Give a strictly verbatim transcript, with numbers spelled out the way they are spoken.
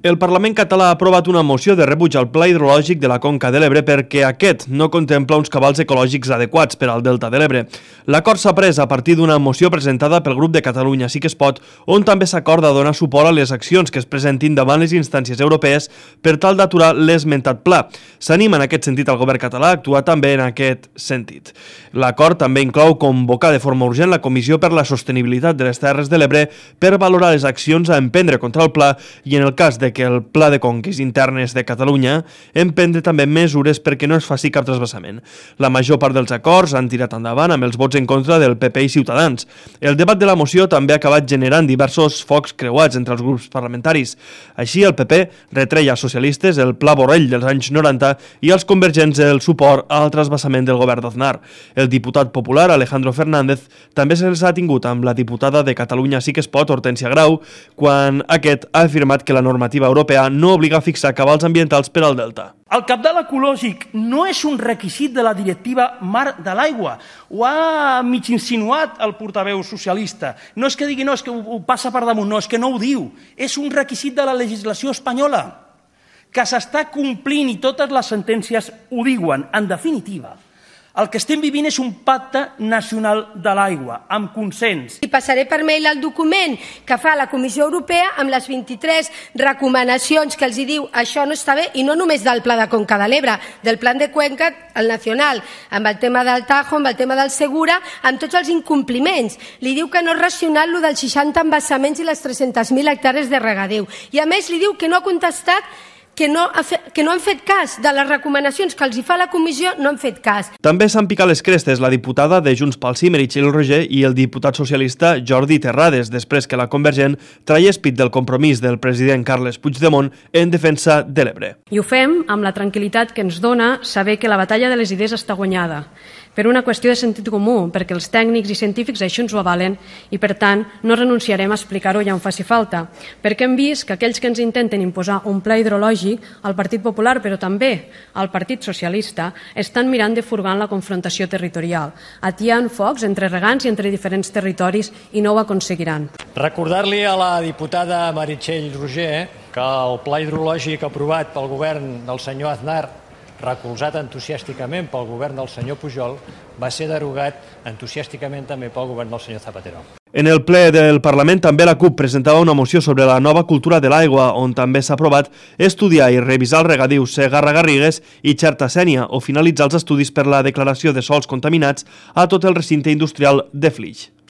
El Parlament català ha aprovat una moció de rebuig al Pla Hidrològic de la Conca de l'Ebre perquè aquest no contempla uns cabals ecològics adequats per al Delta de l'Ebre. L'acord s'ha pres a partir d'una moció presentada pel grup de Catalunya Sí que es pot, on també s'acorda donar suport a les accions que es presentin davant les instàncies europees per tal d'aturar l'esmentat pla. S'anima en aquest sentit al govern català a actuar també en aquest sentit. L'acord també inclou convocar de forma urgent la Comissió per la Sostenibilitat de les Terres de l'Ebre per valorar les accions a emprendre contra el pla i, en el cas de que el Pla de Conques Internes de Catalunya, emprendre també mesures perquè no es faci cap trasbassament. La major part dels acords han tirat endavant amb els vots en contra del P P i Ciutadans. El debat de la moció també ha acabat generant diversos focs creuats entre els grups parlamentaris. Així, el P P retreia als socialistes el Pla Borrell dels anys noranta i als convergents el suport al trasbassament del govern d'Aznar. El diputat popular Alejandro Fernández també se'ls ha tingut amb la diputada de Catalunya Sí que es pot, Hortènsia Grau, quan aquest ha afirmat que la normativa europea no obliga a fixar cabals ambientals per al delta. El cabal ecològic no és un requisit de la directiva Mar de l'Aigua. Ho ha mig insinuat el portaveu socialista. No és que digui no, és que ho passa per damunt, no, és que no ho diu. És un requisit de la legislació espanyola que s'està complint i totes les sentències ho diuen. En definitiva, el que estem vivint és un pacte nacional de l'aigua, amb consens. I passaré per mail el document que fa la Comissió Europea amb les vint-i-tres recomanacions que els diu això no està bé, i no només del Pla de Conca de l'Ebre, del Plan de Cuenca, el nacional, amb el tema del Tajo, amb el tema del Segura, amb tots els incompliments. Li diu que no és racional el dels seixanta embassaments i les tres-centes mil hectàrees de regadeu. I a més li diu que no ha contestat Que no, ha fet, que no han fet cas de les recomanacions que els hi fa la comissió, no han fet cas. També s'han picat les crestes la diputada de Junts pel Sí, Meritxell Roger, i el diputat socialista Jordi Terrades, després que la Convergent traiés pit del compromís del president Carles Puigdemont en defensa de l'Ebre. I ho fem amb la tranquil·litat que ens dona saber que la batalla de les idees està guanyada, per una qüestió de sentit comú, perquè els tècnics i científics això ens ho avalen i, per tant, no renunciarem a explicar-ho ja on faci falta, perquè hem vist que aquells que ens intenten imposar un pla hidrològic, el Partit Popular, però també el Partit Socialista, estan mirant de furgar la confrontació territorial, atiant focs entre regants i entre diferents territoris, i no ho aconseguiran. Recordar-li a la diputada Meritxell Roger que el pla hidrològic aprovat pel govern del senyor Aznar, recolzat entusiàsticament pel govern del senyor Pujol, va ser derogat entusiàsticament també pel govern del senyor Zapatero. En el ple del Parlament també la CUP presentava una moció sobre la nova cultura de l'aigua, on també s'ha aprovat estudiar i revisar el regadiu Segarra-Garrigues i Xerta-Sénia o finalitzar els estudis per la declaració de sòls contaminats a tot el recinte industrial de Flix.